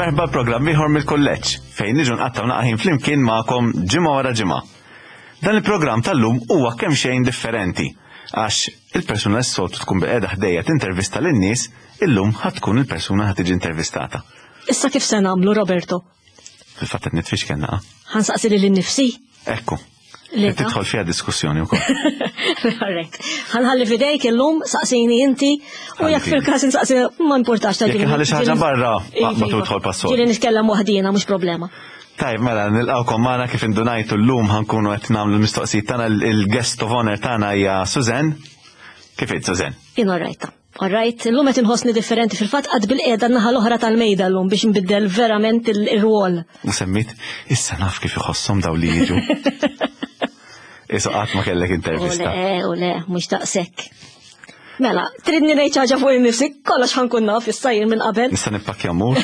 Merħba programm ieħor mill-kulleġġ fejn niġu nqattgħu naqra ħin flimkien magħkom ġimgħa wara ġimgħa. Dan il-programm tal-lum huwa kemm xejn differenti għax il-persuna li s-soltu tkun bilqiegħda ħdejja tintervista lin-nies illum ħa tkun il-persuna ħa tiġi intervistata. Issa kif se nagħmlu, Roberto? Fil-fatt qed nitfixkel naqa'. Ħa nsaqsi lili nnifsi? Ekku. Tidħol fiha diskussjoni wkoll. Alright. Ħa nħalli f'idejk illum, saqsini inti, u jekk fil-każ insaqsi ma importax ta' Jekk ħalli xi ħaġa barra, ma tidħol passol. Ġieli nitkellem waħdina, mhux problema. Tajb, mela, nilqawkom magħna kif indunajtu llum ħa nkunu qed nagħmlu l-mistoqsijiet tagħna il-guest of honor tagħna hija Suzanne. Kif int Suzanne? Jien alright. Alright, illum qed inħossni differenti fil-fatt qatt bil-qiegħda naħa l-oħra tal-mejda llum biex nbiddel verament il-rwol. U semmit, issa naf kif iħosshom daw li jiġu. Isu qatt ma kellek intervista. U le, u le, mhux daqshekk. Mela, tridni ngħid ħaġa fuq innifsi, kollox ħa nkun naf issa jien minn qabel. Nista' nippakkja mmur.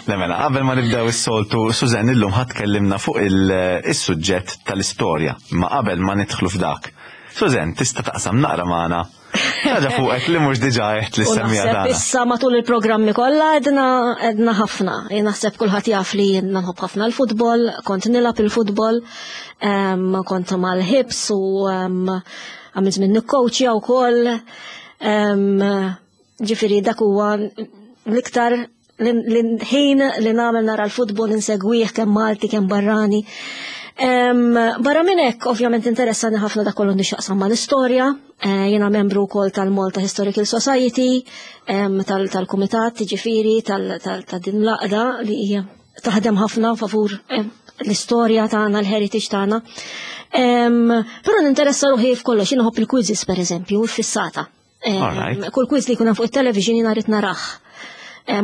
Le mela, qabel ma nibdew is-soltu, Suzanne illum ħa tkellimna fuq is-suġġett tal-istorja, ma qabel ma nidħlu f'dak. Suzanne, tista' taqsam naqra magħna ħaġa fuqek li mhux diġà qed li semmija tagħna. Issa matul il-programmi kollha għedna għedna ħafna. Jien naħseb kulħadd jaf li jien nħobb ħafna l-futbol, kont nilgħab il-futbol, kont mal-Hibs u għamilt minn nikkoċja wkoll. Ġifieri dak huwa l-iktar l-ħin li nagħmel nara l-futbol insegwih kemm Malti kemm barrani. Barra minn hekk, ovvjament interessani ħafna dak kollu nixaqsam mal-istorja. Eh, jiena membru wkoll tal-Malta Historical Society, tal-kumitat, ġifieri, tal din l-għaqda li hija taħdem ħafna favur l-istorja tagħna, l-heritage tagħna. Però ninteressa ruħi f'kollox, jien nħobb il-quizzes pereżempju, fissata. Kull quiz li jkun hemm fuq it-television jiena rrid narah.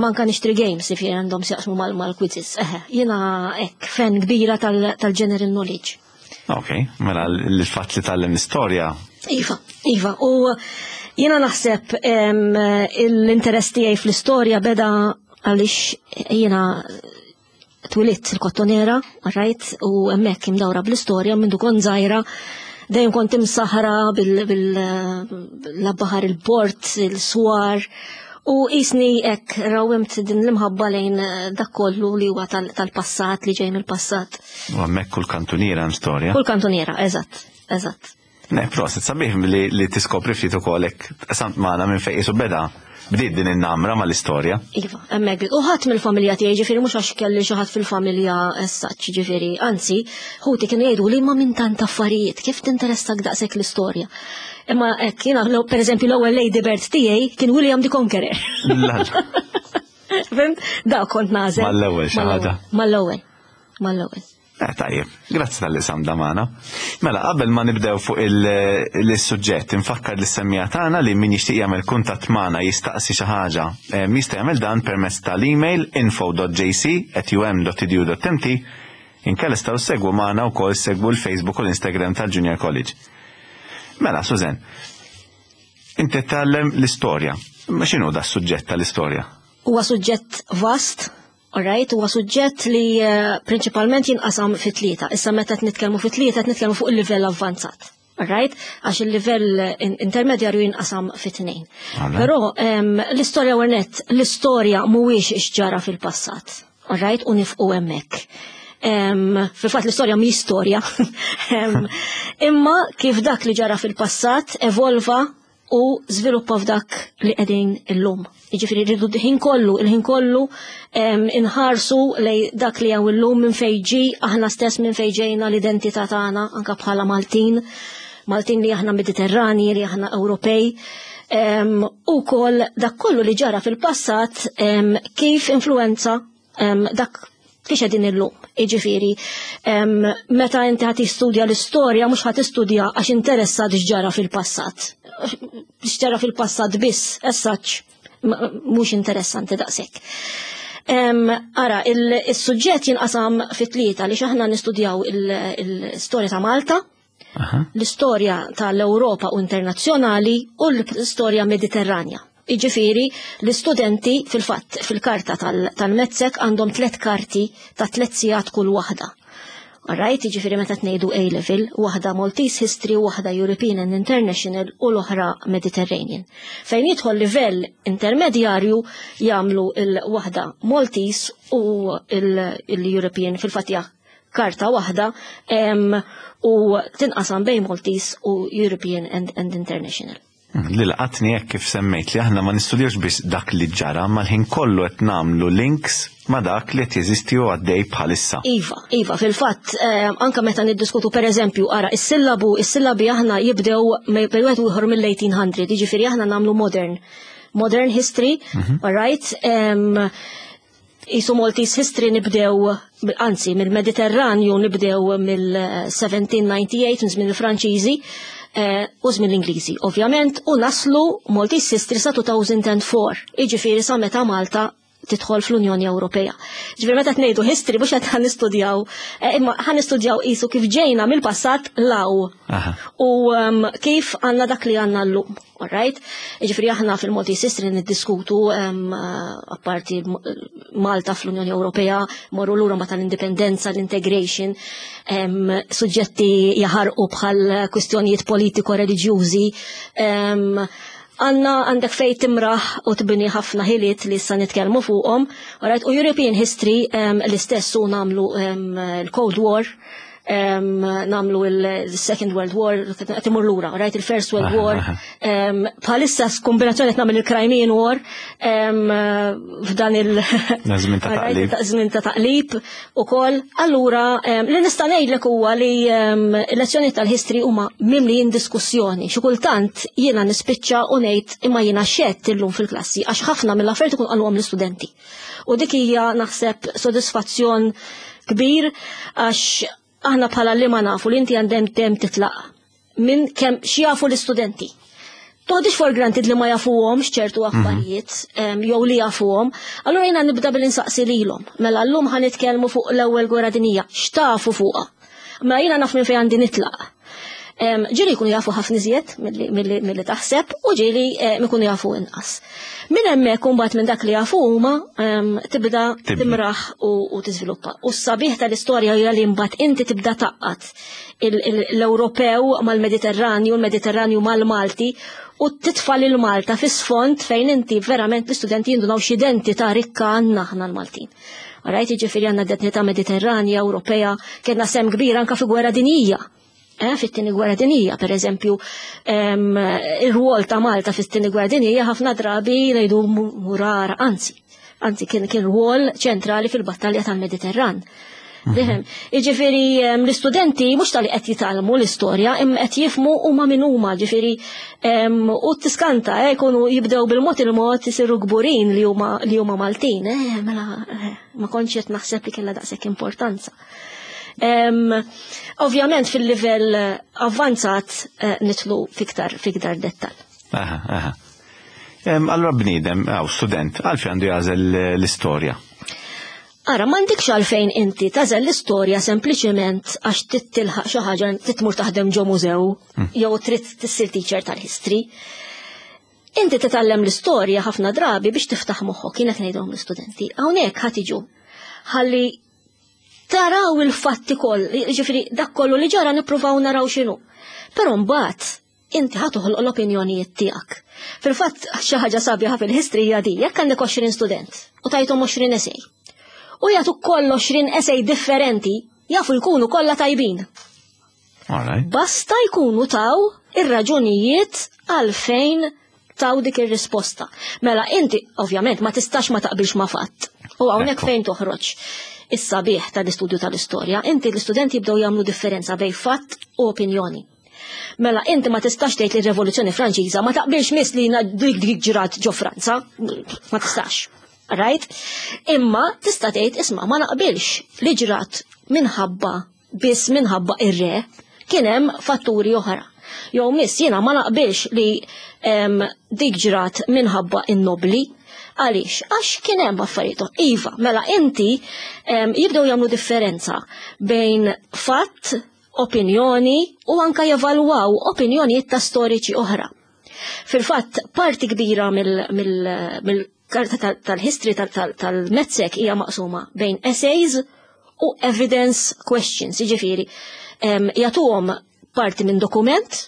Manka nixtri games li għandhom x'jaqsmu mal-quizzes. Jiena hekk fan kbira tal-general knowledge. Ok, mela l-fatt li tgħallem l-istorja. Iva, iva. U jiena naħseb l-interess tiegħi fl-istorja beda għaliex jiena twilidt il-Kottonera, right, u hemmhekk imdawra bl-istorja mindu kont żgħira dejjem kont imsaħra bil-baħar il-port, il-swar, u jisni hekk rawimt din l-imħabba lejn dak kollu li huwa tal-passat, li ġej mill-passat. U hemmhekk kull kantuniera hemm storja. Kull kantuniera, eżatt, eżatt. Ne, prosit, sabiħ li, li tiskopri ftit ukoll hekk samt magħna minn fejn isu beda bdiet din in-namra mal-istorja. Iva, hemmhekk. U ħadd mill-familja tiegħi ġifieri mhux għax kelli xi ħadd fil-familja essaċ ġifieri, anzi, ħuti kienu jgħidu li ma minn tant affarijiet, kif tinteressak daqshekk l-istorja. Imma hekk jiena pereżempju l-ewwel Lady Bird tiegħi kien William the Conqueror. Fhimt? Da kont nagħżel. Mal-ewwel xi ħaġa. Mal-ewwel. Mal-ewwel. Eh, tajjeb, grazzi talli qsamtha magħna. Mela, qabel ma nibdew fuq il-suġġett, infakkar lis-semmiegħa tagħna li min jixtieq jagħmel kuntatt magħna jistaqsi xi ħaġa, jista' jagħmel dan permezz tal-email info.jc@um.edu.mt inkella tistgħu ssegwu magħna wkoll segwu l-Facebook u l-Instagram tal-Junior College. Mela, Suzanne, inti tgħallem l-istorja. Ma x'inhu da suġġett tal-istorja? Huwa suġġett vast, Alright, huwa suġġett li eh, prinċipalment jinqasam fi tlieta. Issa meta qed nitkellmu fi tlieta qed nitkellmu fuq il-livell avvanzat. Alright, għax il-livell intermedjarju jinqasam fi tnejn. Però l-istorja warnet, l-istorja mhuwiex x'ġara fil-passat. Alright, u nifqu hemmhekk. Fil-fatt l-istorja mhi storja. Imma kif dak li ġara fil-passat evolva u żviluppa f'dak li qegħdin illum. Jiġifieri rridu ħin kollu, il-ħin kollu inħarsu lej dak li hawn illum minn fejn ġi, aħna stess minn fejn ġejna l-identità tagħna anke bħala Maltin, Maltin li aħna Mediterrani, li aħna Ewropej. U koll dak kollu li ġara fil-passat kif influenza dak fiex qegħdin illum. Jiġifieri, meta inti ħa tistudja l-istorja mhux ħa tistudja għax interessat x'ġara fil-passat. X'ġara fil-passat biss, essaċ, mhux interessanti daqshekk. Ara, il-suġġett jinqasam fit tlieta li aħna nistudjaw il-istorja ta' Malta, l-istorja tal-Ewropa u internazzjonali u l-istorja Mediterranja. Iġifieri, l-istudenti fil-fatt fil-karta tal-MATSEC għandhom tlet karti ta' tlet sigħat kull waħda. Alright, jiġifieri meta tnejdu A level, waħda Maltese History, waħda European and International u l-oħra Mediterranean. Fejn jidħol livell intermedjarju jagħmlu l-waħda Maltese u l-European fil-fatt karta waħda u tinqasam bejn Maltese u European and, and International. Li laqatni hekk kif semmejt li aħna ma nistudjawx biss dak li ġara, ma l-ħin kollu qed nagħmlu links ma dak li qed jeżisti u għaddej bħalissa. Iva, iva, fil-fatt, eh, anka meta niddiskutu pereżempju, ara, is-sillabu, is-sillabi aħna jibdew bejn wieħed u ieħor mill-1800, jiġifieri aħna nagħmlu modern modern history, mm -hmm. all right? Um, Isu Maltese History nibdew, anzi, mill-Mediterranju nibdew mill-1798, minn żmien il-Franċiżi, eh, u żmien l-Ingliżi, ovvjament, u naslu Maltese History sa 2004, iġifieri sa meta Malta tidħol fl-Unjoni Ewropea. Ġifieri meta tnejdu history mhux qed nistudjaw, eh, imma ħan nistudjaw qisu kif ġejna mill-passat law. U um, kif għandna dak li għandna llum. Alright? Ġifri aħna fil-Malti Sistri niddiskutu apparti Malta fl-Unjoni Ewropea, morru lura ma tal-indipendenza, l-integration, suġġetti jaħarqu bħal kwistjonijiet politiko-reliġjużi. Għanna għandek fej timraħ u tbini ħafna ħiliet li issa nitkellmu fuqhom. Alright? U European History l-istess u namlu l-Cold War namlu il-Second World War, qed imur lura, right, il-First World War. Bħalissa kombinazzjoni qed nagħmel il-Crimean War f'dan il- Żmien ta' taqlib. Żmien ta' taqlib ukoll. Allura, li nista' ngħidlek huwa li l-lezzjoni tal-history huma mimlijin diskussjoni. Xi kultant jiena nispiċċa u ngħid imma jiena xett illum fil-klassi għax ħafna mill-affarijiet ikun qalhom l-istudenti. U dik hija naħseb sodisfazzjon kbir għax aħna bħala li ma nafu li inti għandem tem titlaq minn kemm x'jafu l-istudenti. Toħdix for granted li ma jafuhomx ċertu mhm. affarijiet jew li jafuhom, allura jiena nibda bil-insaqsi lilhom. Mela llum ħa nitkellmu fuq l-ewwel gwerra dinija, x'tafu fuqha? Mela jiena naf minn fejn għandi nitlaq. Ġieli jkunu jafu ħafna iżjed milli taħseb u ġieli ikunu jafu inqas. Minn hemmhekk imbagħad minn dak li jafu huma tibda timraħ u tiżviluppa. U s-sabiħ tal-istorja hija li mbagħad inti tibda taqqat l-Ewropew mal-Mediterranju, l-Mediterranju mal-Malti u titfa' lil Malta fi sfond fejn inti verament l-istudenti jindunaw x'identità rikka għandna aħna l-Maltin. Rajt jiġifieri għandna identità Mediterranja, Ewropea, kellna sem kbir anka fi gwerra dinjija. Eh, fit-tieni gwerra dinjija, per eżempju, ir-rwol ta' Malta fit-tieni gwerra dinjija ħafna drabi ngħidu murar, anzi, anzi kien kien rwol ċentrali fil-battalja tal-Mediterran. Dihem, Iġifieri l-istudenti mhux tal qed jitgħallmu l-istorja, imma qed jifhmu huma min huma, ġifieri u tiskanta eh, jkunu jibdew bil-mod il-mod isiru kburin li huma li huma Maltin, eh, mela eh, ma kontx qed naħseb li kellha daqshekk importanza. Ovvjament fil-livell avvanzat eh, nitlu fiktar fiktar dettal. Aha, aha. Allora bniedem, għaw student, għalfejn għandu jażel l-istorja. Ara, m'għandikx għalfejn inti tażel l-istorja sempliċement għax trid tilħaq xi ħaġa trid tmur taħdem ġo mużew hmm. jew trid tissir teacher tal-history. Inti titgħallem l-istorja ħafna drabi biex tiftaħ moħħok, kienet ngħidhom l-istudenti. Hawnhekk ħa tiġu ħalli taraw il-fatti koll, ġifieri dak kollu li ġara nippruvaw naraw x'inhu. Però mbagħad inti ħa toħloq l-opinjonijiet tiegħek. Fil-fatt xi ħaġa sabiħa fil-history hija di, jekk għandek 20 student u tajthom 20 essay. U jagħtu koll 20 essay differenti, jafu jkunu kollha tajbin. Basta jkunu taw ir-raġunijiet għalfejn taw dik ir-risposta. Mela inti ovvjament ma tistax ma taqbilx ma fatt. U hawnhekk fejn toħroġ is-sabiħ tal-istudju tal-istorja, inti l-istudenti jibdew jagħmlu differenza bejn fatt u opinjoni. Mela inti ma tistax tgħid li r-Revoluzzjoni Franċiża ma taqbilx miss li dik dik ġrat ġo Franza, ma tistax. Right? Imma tista' tgħid isma' ma naqbilx li ġrat minħabba biss minħabba ir-re, kien hemm fatturi oħra. Jew miss jiena ma naqbilx li dik ġrat minħabba in-nobli, Għaliex? Għax kien hemm affarijiet Iva, mela inti jibdew jagħmlu differenza bejn fatt opinjoni u anka jevalwaw opinjonijiet ta' storiċi oħra. Fil-fatt, parti kbira mill-karta tal-history tal-Metzek hija maqsuma bejn essays u evidence questions, jiġifieri jagħtuhom parti minn dokument,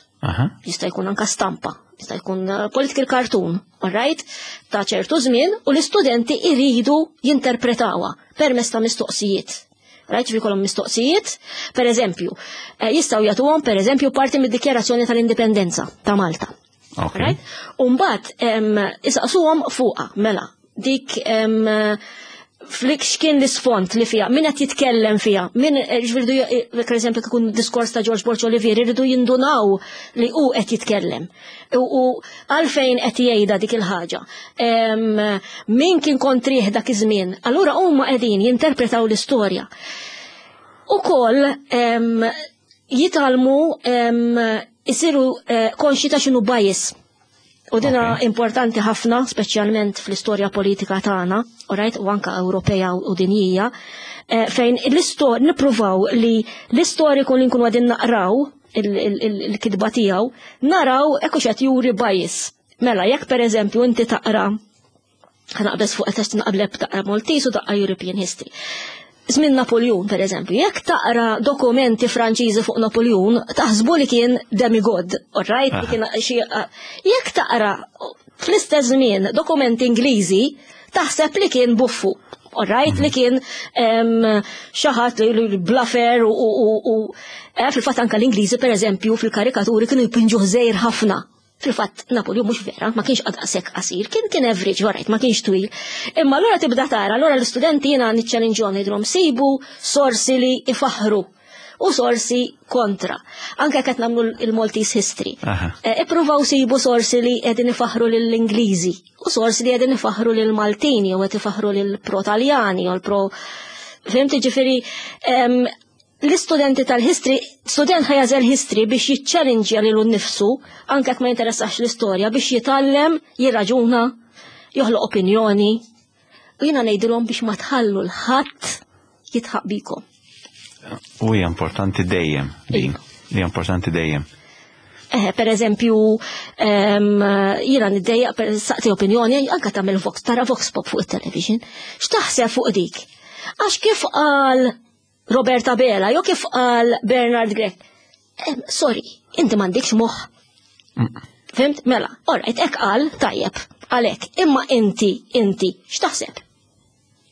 jista' jkun anka stampa, jista' jkun political cartoon, all right, ta' ċertu żmien u l-istudenti iridu jinterpretawha permezz ta' mistoqsijiet. Right, ġifieri jkollhom mistoqsijiet, per eżempju, jistgħu jagħtuhom per eżempju parti mid-Dikjarazzjoni tal-Indipendenza ta' Malta. Right? U mbagħad isaqsuhom fuqha, mela, dik flik x'kien l-isfond li fija, min qed jitkellem fija, min ġifieri per eżempju ikun diskors ta' George Borg Olivier, iridu jindunaw li hu qed jitkellem. U għalfejn qed jgħidha dik il-ħaġa. Min kien kontrih dak iż-żmien, allura huma qegħdin jinterpretaw l-istorja. Ukoll jitgħallmu isiru konxji ta' x'inhu bias. U dina importanti ħafna, speċjalment fl-istorja politika tagħna, right, u anka Ewropea u dinjija, fejn l-istor nippruvaw li l-istoriku li nkunu qegħdin naqraw il-kitba tiegħu, naraw hekk hux qed juri bias. Mela, jekk pereżempju inti taqra, ħa naqbeż fuq qed naqbleb taqra Maltese u taqra European History. Żmien Napoleon, per eżempju, jekk taqra dokumenti Franċiżi fuq Napoleon, taħsbu li kien demigod, all right? Li kien xi, jekk taqra fl-istess żmien dokumenti Ingliżi, taħseb li kien buffu, all right? Li kien xi ħadd li bluffer u fil-fatt anka l-Ingliżi, per eżempju, fil-karikaturi kienu jpinġuh żgħir ħafna. Fil-fatt Napoleon mhux vera, ma kienx daqshekk qasir, kien average, all right, ma kienx twil. Imma allura tibda tara, allura l-istudenti jiena niċċellinġhom ngħidilhom sibu sorsi li ifaħru u sorsi kontra. Anke qed nagħmlu il-Maltese History. Ippruvaw sibu sorsi li qegħdin ifaħru lill-Ingliżi u sorsi li qegħdin ifaħru lill-Maltin jew qed ifaħru lill-Pro-Taljani jew l-Pro. Fhimt, ġifieri l-istudenti tal-history, student ħa jagħżel history biex jiċċellinġja lilu nnifsu, anke jekk ma jinteressax l-istorja, biex jitgħallem, jirraġuna, joħloq opinjoni. U jiena ngħidilhom biex ma tħallu 'l ħadd jidħaq bikom. U hija importanti dejjem din. Hija importanti dejjem. Per eżempju, jiena niddejjaq per saqti opinjoni, anka tagħmel vox, tara vox pop fuq it-television. X'taħseb fuq dik? Għax kif qal Roberta Abela, jew kif qal Bernard Grech. Sorry, inti m'għandikx moħħ. Fhimt? Mela, all right, hekk qal, tajjeb, għalhekk, imma inti, x'taħseb?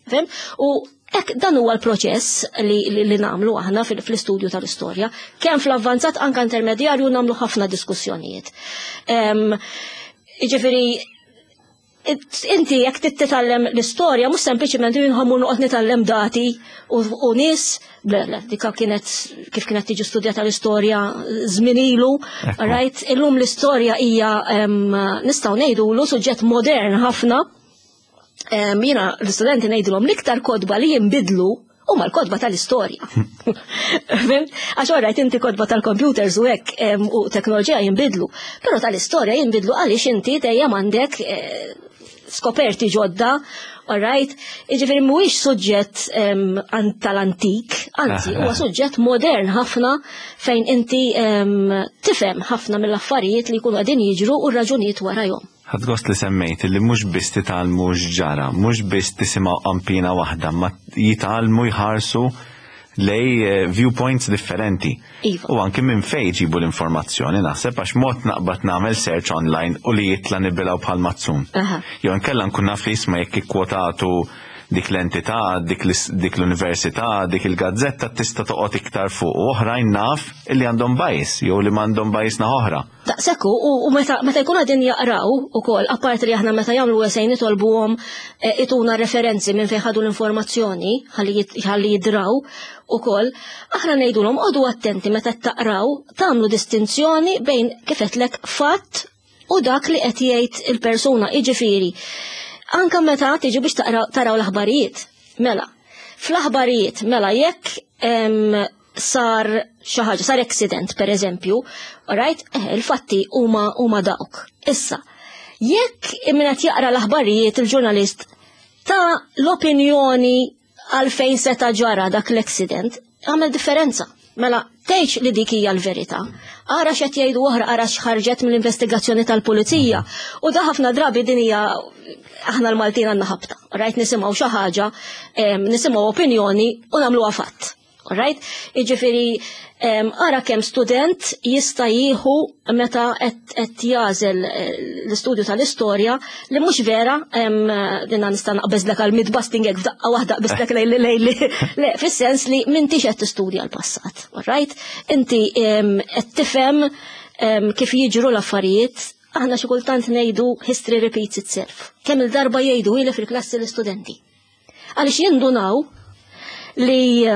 Fhimt? U hekk dan huwa l-proċess li nagħmlu aħna fl-istudju tal-istorja. Kemm fl-avvanzat anka intermedjarju nagħmlu ħafna diskussjonijiet. Jiġifieri, inti jekk titgħallem l-istorja, mhux sempliċement jien ħa mmur noqgħod nitgħallem dati u nies, le, le, dika kienet kif kienet tiġi studjata l-istorja żmien ilu, right? Illum l-istorja hija nistgħu ngħidulu suġġett modern ħafna. Jiena l-istudenti ngħidulhom l-iktar kotba li jinbidlu huma l-kotba tal-istorja. Fhimt? Għax orajt inti kotba tal-computers u hekk u teknoloġija jinbidlu, però tal-istorja jinbidlu għaliex inti dejjem għandek skoperti ġodda, all right? Jiġifieri mhuwiex suġġett tal-antik, anzi huwa suġġett modern ħafna fejn inti tifhem ħafna mill-affarijiet li jkunu qegħdin jiġru u r-raġunijiet warahom. Ħadt gost li semmejt li mhux biss titgħallmu x'ġara, mhux biss tisimgħu qampina waħda, ma jitgħallmu jħarsu lej viewpoints differenti. U anke minn fejn jġibu l-informazzjoni, naħseb għax mod naqbad nagħmel search online u li jitla nibilgħu bħal mazzun. Jew inkella nkun naf li jisma' jekk ikkwotatu dik l-entità, dik l-università, dik il-gazzetta tista' toqgħod iktar fuq u oħrajn naf li għandhom bias jew li m'għandhom bias naħa oħra. Daqshekk u meta jkunu qegħdin jaqraw ukoll, apparti li aħna meta jagħmlu essay nitolbuhom ituna referenzi minn fejn ħadu l-informazzjoni ħalli jidraw ukoll, aħna ngħidulhom qogħdu attenti meta taqraw tagħmlu distinzjoni bejn kif qedlek fatt u dak li qed jgħid il-persuna, jiġifieri. Anka meta tiġu biex taraw l-aħbarijiet, mela, fl-aħbarijiet, mela jekk sar xi ħaġa, sar accident per eżempju, right? Il-fatti huma dawk. Issa, jekk min qed jaqra l-aħbarijiet il-ġurnalist ta' l-opinjoni għalfejn seta' ġara dak l-accident, għamel differenza. Mela, tgħidx li dik hija l-verità. Ara x'qed jgħidu oħra, ara x'ħarġet mill-investigazzjoni tal-pulizija. U da ħafna drabi din hija aħna l-Maltin għandna ħabta. Rajt nisimgħu xi ħaġa, nisimgħu opinjoni u nagħmluha fatt. Right? Jiġifieri ara kemm student jista' jieħu meta qed jagħżel l-istudju tal-istorja li mhux vera dinna nista' naqbeżlek għal myth-busting hekk f'daqqa waħda qbiżlek lejli lejli. Le, fis-sens li m'intix qed tistudja l-passat. Right? Inti qed tifhem kif jiġru l-affarijiet. Aħna xi kultant ngħidu history repeats itself. Kemm il-darba jgħidu ili fil-klassi l-istudenti. Għaliex jindunaw li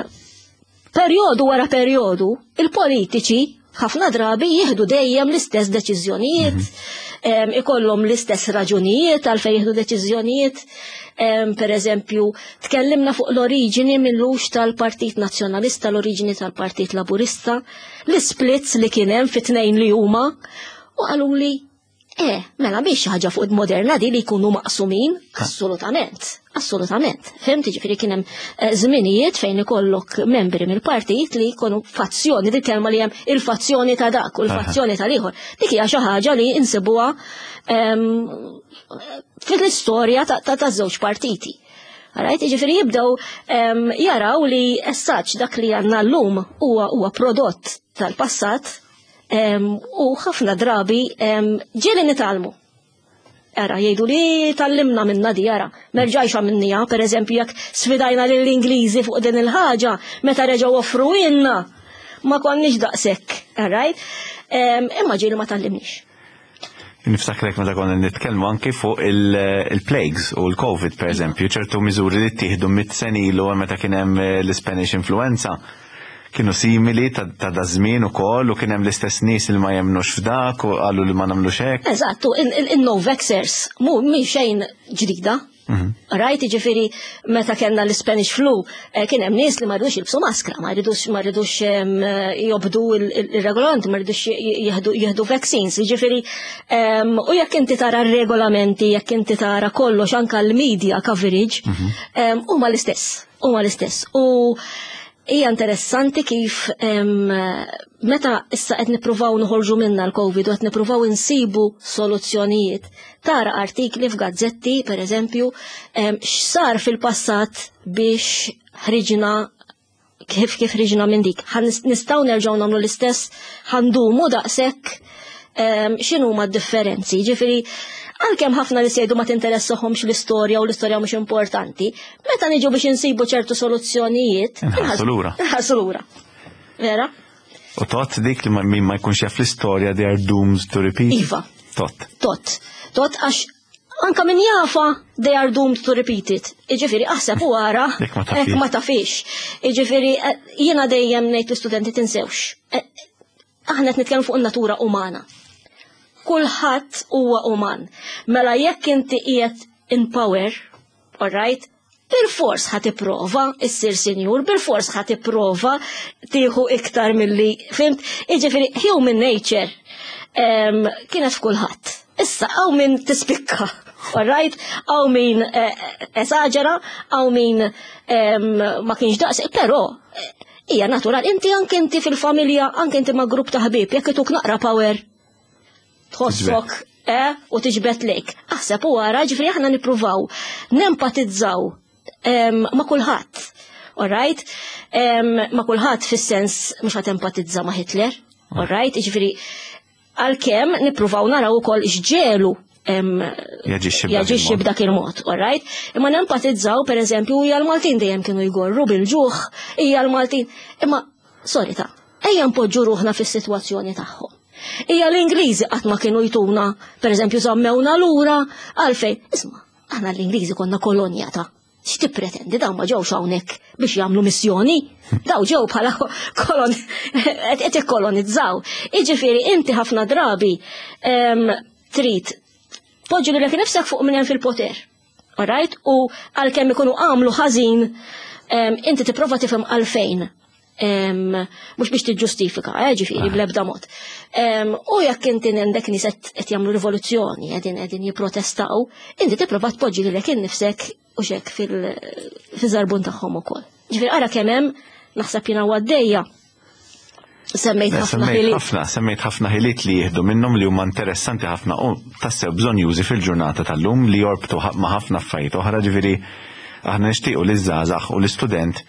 perjodu wara perjodu il-politiċi ħafna drabi jieħdu dejjem l-istess deċiżjonijiet, ikollhom l-istess raġunijiet għalfejn jieħdu deċiżjonijiet. Per eżempju, tkellimna fuq l-oriġini mill-lux tal-Partit Nazzjonalista, l-oriġini tal-Partit Laburista, l-splits li kien hemm fit-tnejn li huma, u qaluli, mela biex xi ħaġa fuq moderna di li jkunu maqsumin, assolutament, assolutament. Fhimt, ġifieri kien hemm żminijiet fejn ikollok membri mill-partit li jkunu fazzjoni, dik kelma li hemm il-fazzjoni ta' dak u l-fazzjoni tal-ieħor. Dik hija xi ħaġa li insibuha fil-istorja ta' żewġ partiti. Right? Ġifieri jibdew jaraw li essaċ dak li għandna llum huwa prodott tal-passat. U ħafna drabi ġieli nitgħallmu. Ara, jgħidu li tgħallimna minna di, ara, merġajxa minnija, per eżempju, jekk sfidajna lill-Ingliżi fuq din il-ħaġa, meta reġgħu offru inna, ma konniex daqshekk, right? Imma ġieli ma tgħallimniex. Niftakrek meta konna nitkellmu anki fuq il-plagues u l-Covid, per eżempju, ċertu miżuri li ttieħdu mit sena ilu meta kien hemm l-Spanish influenza. Kienu simili ta' da żmien ukoll u kien hemm l-istess nies li ma jemnux f'dak u qalu li ma nagħmlux hekk. Eżattu, il-no-vaxxers mhu mi xejn ġdida. Right, ġifieri meta kellna l-Spanish flu, kien hemm nies li ma rridux jilbsu maskra, ma rridux jobdu il-regolamenti, ma rridux jieħdu vaccines. Ġifieri, u jekk inti tara r-regolamenti, jekk inti tara kollox anka l-media coverage, huma l-istess, huma l-istess. U hija interessanti kif meta issa qed nippruvaw noħorġu minna l-Covid u qed nippruvaw insibu soluzzjonijiet, tara artikli f'gazzetti, per eżempju, x'sar fil-passat biex ħriġna kif ħriġna minn dik. Nistgħu nerġgħu nagħmlu l-istess, ħa ndumu daqshekk, x'inhuma d-differenzi. Ġifieri, għalkemm ħafna li sejdu ma tinteressahomx l-istorja u l-istorja mhux importanti, meta niġu biex insibu ċertu soluzzjonijiet, Inħarsu lura. Inħarsu lura. Vera? U tot dik li min ma jkunx jaf l-istorja, they are doomed to repeat? Iva. Tot. Tot. Tot għax anka min jafa they are doomed to repeat it. Iġifieri, aħseb u ara, Jekk ma tafix. Jekk ma tafix. Iġifieri, jiena dejjem ngħid l-istudenti tinsewx. Aħna qed nitkellmu fuq in-natura umana. Kulħadd huwa uman. Mela jekk inti qiegħed in power, all right, bil-fors ħa tipprova issir sinjur, bil-fors ħa tipprova tieħu iktar milli, fhimt? Iġifieri, human nature kienet f'kulħadd. Issa, hawn min tispikka, all right? Hawn min esaġera, hawn min ma kienx daqs, però hija natural. Inti anke inti fil-familja, anke inti ma' grupp ta' ħbieb, jekk ituk naqra power, tħossok, u tiġbed lejk. Aħseb u ara, ġifieri aħna nippruvaw nempatizzaw ma' kulħadd. All right? Ma' kulħadd fis-sens mhux ħadd empatizza ma' Hitler. All right? Ġifieri għalkemm nippruvaw naraw ukoll x'ġelu Jaġixxi b'dak jaġixxi il-mod. b'dak il-mod, all right? Imma nempatizzaw, per eżempju, hija l-Maltin dejjem kienu jgorru bil-ġuħ, hija l-Maltin. Imma, sorry ta', ejja npoġġu ruħna fis-sitwazzjoni tagħhom. Hija l-Ingliżi qatt ma kienu jtuna, per eżempju, żammewna lura, għalfejn, isma', aħna l-Ingliżi konna kolonja ta' x'tippretendi, dawn ma ġewx hawnhekk biex jagħmlu missjoni, daw ġew bħala qed ikkolonizzaw. Jiġifieri inti ħafna drabi trid poġġi lilek nifsek fuq minn hemm fil-poter. All right? U għalkemm ikunu għamlu ħażin, inti tipprova tifhem għalfejn. Mhux biex tiġġustifika, ġifieri bl-ebda mod. U jekk inti għandek nies qed jagħmlu rivoluzzjoni, qegħdin jipprotestaw, inti tipprova tpoġġi lilek innifsek u xek fil-żarbun tagħhom ukoll. Ġifieri ara kemm hemm, naħseb jiena għaddejja. Semmejt ħafna ħiliet. Ħafna, semmejt ħafna ħiliet li jieħdu minnhom li huma interessanti ħafna u tassew bżonn jużi fil-ġurnata tal-lum li jorbtu ma' ħafna affarijiet oħra ġifieri aħna nixtiequ li żgħażagħ u l-istudent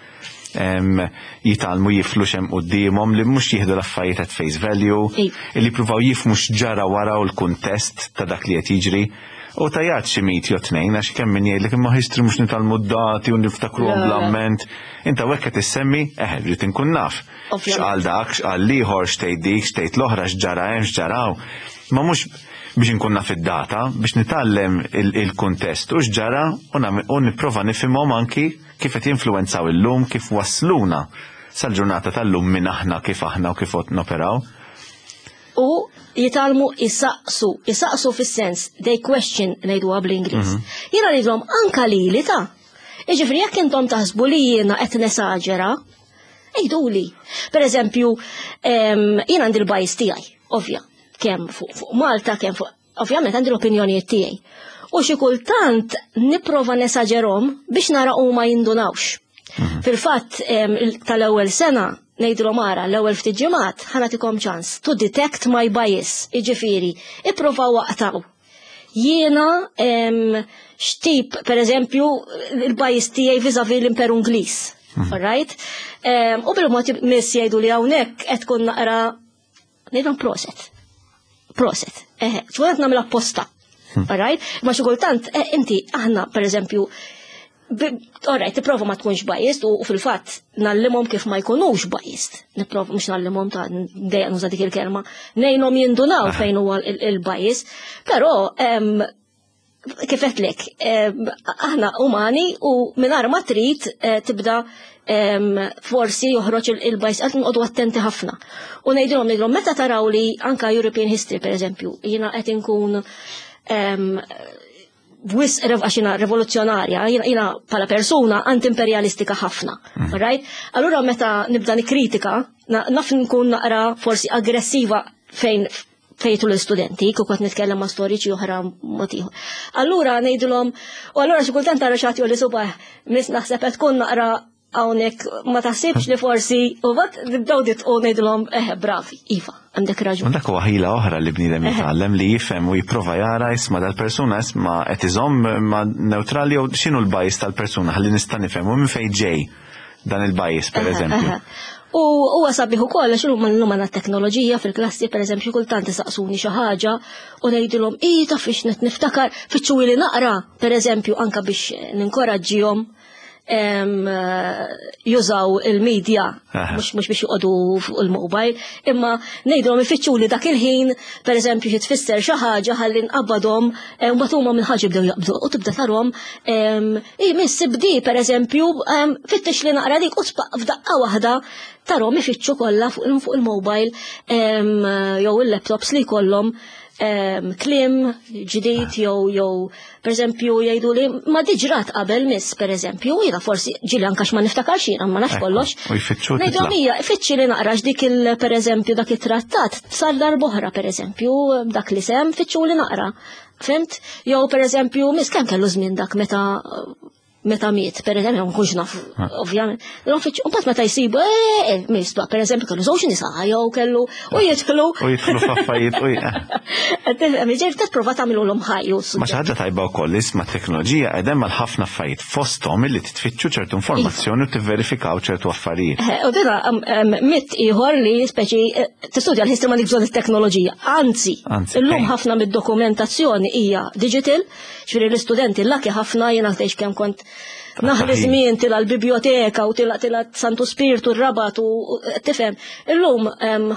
jitgħallmu jiflu xem qudiemhom li mhux jieħdu l-affarijiet at face value, li jippruvaw jifhmu x'ġara wara u l-kuntest ta' dak li qed jiġri. U tajat xi mit jew tnejn għax kemm min jgħidlek imma history mhux nitgħallmu d-dati u niftakruhom bl-amment. Inta hekk qed issemmi, eħe, rrid inkun naf. X'qal dak, x'qal l-ieħor, x'tgħid dik, x'tgħid l-oħra, x'ġara hemm, x'ġaraw. Ma mhux biex inkun naf id-data, biex nitgħallem il-kuntest u x'ġara u nipprova nifhimhom anki kif qed jinfluwenzaw illum, kif wasluna sal-ġurnata tal-lum minn aħna kif aħna u kif noperaw. U jitgħallmu isaqsu, isaqsu fis-sens, they question ngħiduha bl-Ingliż. Jiena ngħidlhom anka lili ta' Jiġifieri jekk intom taħsbu li jiena qed nesaġera, għiduli. Per eżempju, jiena għandi l-bias tiegħi, ovvja, kemm fuq Malta, kemm fuq, ovvjament għandi l-opinjonijiet tiegħi. U xi kultant nipprova nesaġerhom biex nara huma jindunawx. Fil-fatt tal-ewwel sena ngħidilhom ara l-ewwel ftit ġimgħat ħa nagħtikom ċans to detect my bias, jiġifieri, ipprovaw waqtaw. Jiena x'tip, per eżempju, il-bias tiegħi vis-a-vis l-Imperu Ingliż. Alright? U bil-mod miss jgħidu li hawnhekk qed tkun naqra ngħidhom proset. Proset. Eħe, xi nagħmel apposta. Alright? Ma xi kultant inti aħna per eżempju Alright, tipprova ma tkunx biased u fil-fatt ngħallimhom kif ma jkunux biased. Nipprova mhux ngħallimhom ta' dejja nuża dik il-kelma, ngħinhom jindunaw fejn huwa il-bias, però kif għedtlek, aħna umani u mingħajr ma trid tibda forsi joħroġ il-bias qed nqogħdu attenti ħafna. U ngħidilhom ngħidilhom meta taraw li anka European history pereżempju, jiena qed inkun wisq għax jiena rivoluzzjonarja, jiena bħala persuna anti-imperialistika ħafna, right? Allura meta nibda nikkritika, naf nkun naqra forsi aggressiva fejn fejtu l-istudenti, kieku qed nitkellem ma' storiċi oħra mod ieħor. Allura ngħidilhom, u allura xi kultant tara xi ħadd jgħolli subgħajh, miss naħseb qed tkun naqra hawnhekk ma taħsibx li forsi u bat nibdew nitqu ngħidilhom eħe bravi, iva, għandek raġun. U dak huwa ħila oħra li bniedem jitgħallem li jifhem u jipprova jara isma' dal-persuna isma' qed iżomm ma' neutrali jew x'inhu l-bias tal-persuna ħalli nista' nifhem u minn fejn ġej dan il-bias per eżempju. U huwa sabiħ ukoll għax illum illum għandna t-teknoloġija fil-klassi pereżempju kultant isaqsuni xi ħaġa u ngħidilhom i taf fiex qed niftakar fittxu li naqra pereżempju anka biex ninkoraġġihom jużaw il-medja, mhux biex joqogħdu fuq il-mobile, imma ngħidulhom ifittxu li dak il-ħin, pereżempju xi tfisser xi ħaġa ħalli nqabbadhom, mbagħad huma minn ħaġa jibdew jaqbdu u tibda tarhom i miss ibdi pereżempju fittex li naqra dik u f'daqqa waħda tarhom ifittxu kollha fuq il-mobile jew il-laptops li jkollhom kliem ġdid jew jew pereżempju jgħidu li ma diġrat qabel miss pereżempju, jiena forsi ġieli anke ma niftakarx jiena ma nafx kollox. U jfittxu Ngħidhom hija fittxi li naqrax dik il pereżempju dak it-trattat sar darb'oħra pereżempju dak li sem fittxu li naqra. Fhimt? Jew pereżempju miss kemm kellu żmien dak meta meta miet, per eżempju, ma nkunx naf, ovvjament. U mbagħad meta jsibu, miss, per eżempju, kellu żewġ nisa, jew kellu, u jidħlu. U jidħlu f'affarijiet u Ġifieri tipprova tagħmilhom ħajju. Ma xi ħaġa tajba wkoll isma' teknoloġija qegħdem għal ħafna affarijiet fosthom illi titfittxu ċertu informazzjoni u tivverifikaw ċertu affarijiet. U dina mit ieħor li speċi tistudja l-history ma bżonn it-teknoloġija. Anzi, illum ħafna mid-dokumentazzjoni hija digital, ġifieri l-istudenti lucky ħafna jiena tgħix kemm kont naħli żmien tila l-biblioteka u tila tila Santu Spirtu r-Rabat u tifhem. Illum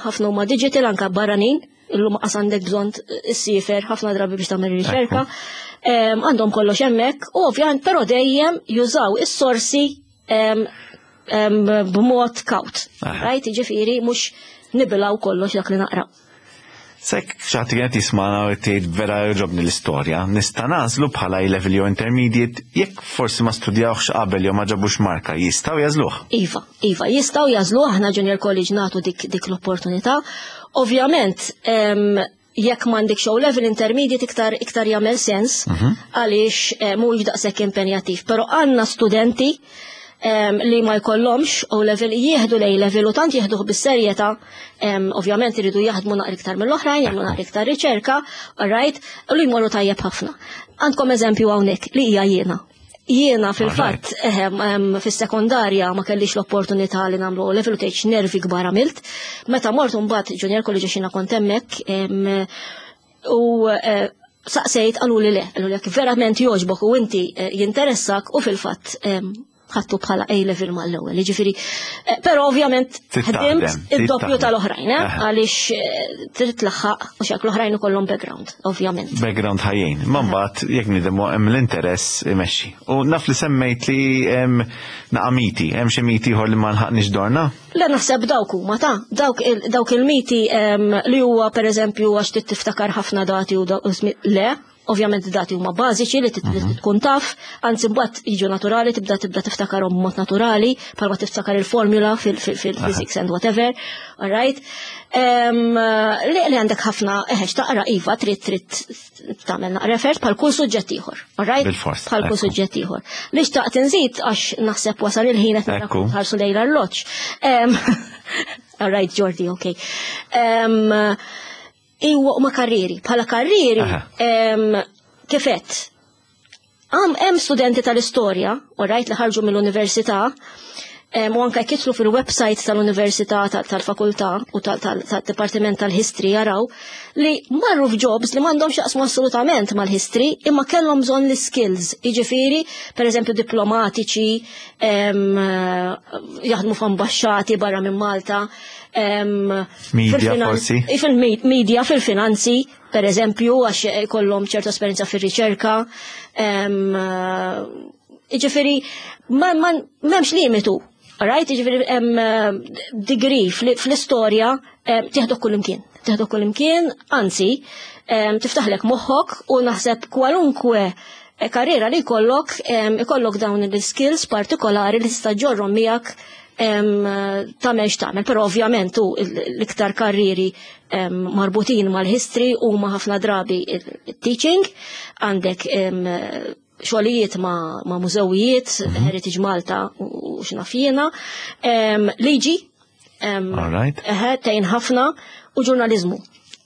ħafna huma digital anka barranin, illum qas għandek bżonn issiefer ħafna drabi biex tagħmel riċerka. Għandhom kollox hemmhekk u ovvjament però dejjem jużaw is-sorsi b'mod kawt. Right, ġifieri mhux nibilgħu kollox dak li naqraw. Sekk xaħti kienet jismana u tgħid vera jogħġobni l-istorja, nista' nagħżlu bħala A-level jew intermediate jekk forsi ma studjawx qabel jew ma ġabux marka, jistgħu jagħżluh? Iva, iva, jistgħu jagħżluh, aħna Junior College nagħtu dik, dik l-opportunità. Ovvjament, jekk m'għandek O level intermediate iktar iktar jagħmel sens għaliex mhuwiex daqshekk impenjattiv, però għandna studenti. li ma jkollhomx O level jieħdu l-A level u tant jieħduh bis-serjetà, ovvjament iridu jaħdmu naqra iktar mill-oħrajn, jagħmlu naqra iktar riċerka, alright, u li jmorru tajjeb ħafna. Għandkom eżempju hawnhekk li hija jiena. Jiena fil-fatt fis-sekondarja ma kellix l-opportunità li nagħmlu O level u tgħidx nervi kbar għamilt. Meta mort mbagħad junior college għax jiena kont hemmhekk u eh, saqsejt qaluli le, qaluli jekk verament jogħġbok u inti eh, jinteressak u fil-fatt ħadtu bħala A level mal-ewwel. Jiġifieri, eh, però ovvjament ħdimt id-doppju tal-oħrajn, eh, għaliex eh, trid tlaħħaq u xek l-oħrajn ikollhom background, ovvjament. Background ħajjin. Ma mbagħad jekk nidem hemm l-interess imexxi. U naf li semmejt li hemm naqa' miti, hemm xi miti ieħor li ma nħaqniex dorna? Le naħseb dawk huma ta' dawk il-miti li huwa pereżempju għax trid tiftakar ħafna dati u le, ovvjament dati huma bażiċi li mhm. tkun taf, anzi mbagħad jiġu naturali tibda tibda tiftakarhom b'mod naturali, bħalma tiftakar il-formula fil-physics and whatever, all right. Li li għandek ħafna eħex taqra iva trid trid tagħmel naqra effort bħal kull suġġett ieħor, all right? Bil-fors. Bħal kull suġġett ieħor. Li xtaqt inżid għax naħseb wasal il-ħin qed nħarsu lejn l-arloġġ. All right, Jordi, okay. Iwa ma karrieri, bħala karrieri kifet. Għam hemm studenti tal-istorja, all right, li ħarġu mill-università, u anke jitlu fil-website tal-università tal-fakultà u tal-dipartiment tal-history jaraw li marru f'jobs li m'għandhomx jaqsmu assolutament mal-history imma kellhom bżonn l-skills, jiġifieri pereżempju diplomatiċi, jaħdmu f'ambaxxati barra minn Malta, media forsi. Fil-media, fil-finanzi, per eżempju, għax kollhom ċertu esperjenza fir-riċerka. Jiġifieri, m'hemmx limitu. Right? Jiġifieri hemm degree fl-istorja tieħdok kullimkien. Tieħdok kullimkien, anzi, tiftaħlek moħħok u naħseb kwalunkwe karriera li jkollok, ikollok dawn l-skills partikolari li tista' ġorrom miegħek tagħmel x'tagħmel, però ovvjament u l-iktar karrieri marbutin mal-history huma ħafna drabi il-teaching, għandek xogħlijiet ma', ma mużewijiet, mhm. Heritage Malta u x'naf jiena, liġi, tgħin ħafna u ġurnaliżmu.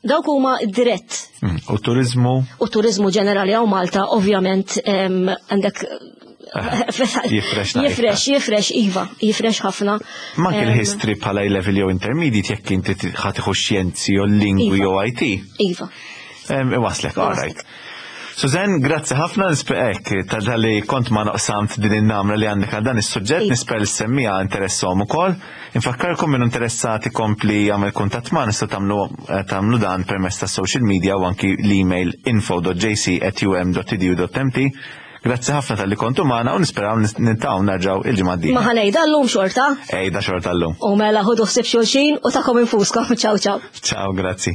Dawk huma dirett. Mm, u turizmu? U turizmu ġenerali hawn Malta, ovvjament għandek Jifrex, jifrex, jifrex, iva, jifrex ħafna. Mank il-history bħala level jew intermediate jekk inti ħatiħu xjenzi jew lingwi jew IT. Iva. Iwaslek, all right. Suzen, grazzi ħafna nispeqek ta' li kont ma naqsamt din in-namra li għandek għal dan is-suġġett, nisper li semmija interessom ukoll. Infakkarkom minn interessati kompli jagħmel kuntatt ma' nistgħu tagħmlu eh, tagħmlu dan permezz ta' social media u anki l-email info.jc@um.edu.mt. Grazzi ħafna tal-li kontu magħna u nisperaw nintaqgħu nerġgħu il-ġimgħa d-dieħla. Ma ħanejda llum xorta. Ejda xorta llum. U mela ħudu ħsieb xulxin u takom infuskom. Ciao ciao. Ciao, grazzi.